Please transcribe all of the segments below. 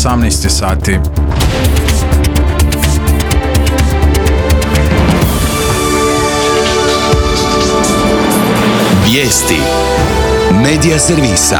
18 sati. Vijesti Medija servisa.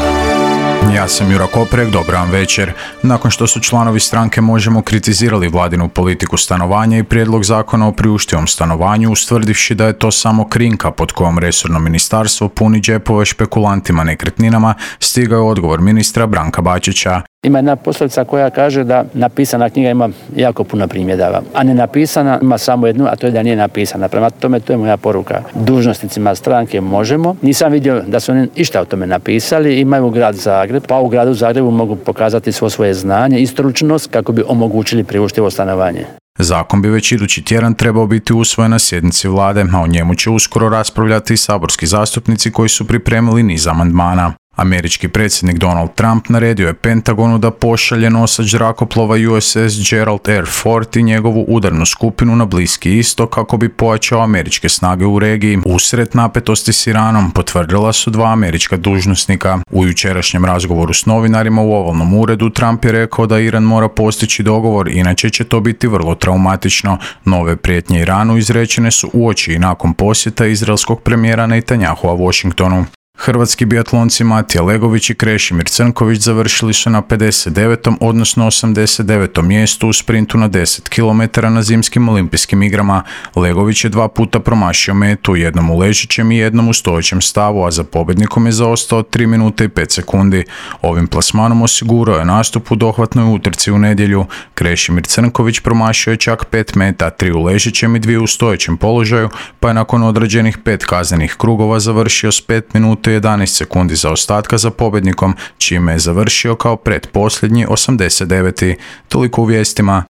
Ja sam Jura Koprek, dobar vam večer. Nakon što su članovi stranke Možemo kritizirali vladinu politiku stanovanja i prijedlog zakona o priuštivom stanovanju, ustvrdivši da je to samo krinka pod kojom resorno ministarstvo puni džepove špekulantima nekretninama, stigao je odgovor ministra Branka Bačića. Ima jedna poslovica koja kaže da napisana knjiga ima jako puno primjedaba, a ne napisana ima samo jednu, a to je da nije napisana. Prema tome, to je moja poruka dužnosnicima stranke Možemo. Nisam vidio da su oni išta o tome napisali, imaju grad Zagreb, pa u gradu Zagrebu mogu pokazati svo svoje znanje i stručnost kako bi omogućili priuštivo stanovanje. Zakon bi već idući tjedan trebao biti usvojen na sjednici vlade, a o njemu će uskoro raspravljati i saborski zastupnici koji su pripremili niz amandmana. Američki predsjednik Donald Trump naredio je Pentagonu da pošalje nosač zrakoplova USS Gerald R. Ford i njegovu udarnu skupinu na Bliski istok kako bi pojačao američke snage u regiji. Usred napetosti s Iranom potvrdila su dva američka dužnosnika. U jučerašnjem razgovoru s novinarima u Ovalnom uredu Trump je rekao da Iran mora postići dogovor, inače će to biti vrlo traumatično. Nove prijetnje Iranu izrečene su uoči i nakon posjeta izraelskog premijera Netanyahua Washingtonu. Hrvatski biatlonci Matija Legović i Krešimir Crnković završili su na 59. odnosno 89. mjestu u sprintu na 10 km na zimskim olimpijskim igrama. Legović je 2 puta promašio metu, jednom u ležećem i jednom u stojećem stavu, a za pobjednikom je zaostao 3 minute i 5 sekundi. Ovim plasmanom osigurao je nastup u dohvatnoj utrci u nedjelju. Krešimir Crnković promašio je čak 5 meta, 3 u ležećem i 2 u stojećem položaju, pa je nakon odrađenih 5 kaznenih krugova završio s 5 minuta 11 sekundi zaostatka za pobjednikom, čime je završio kao pretposljednji 89. Toliko u vijestima.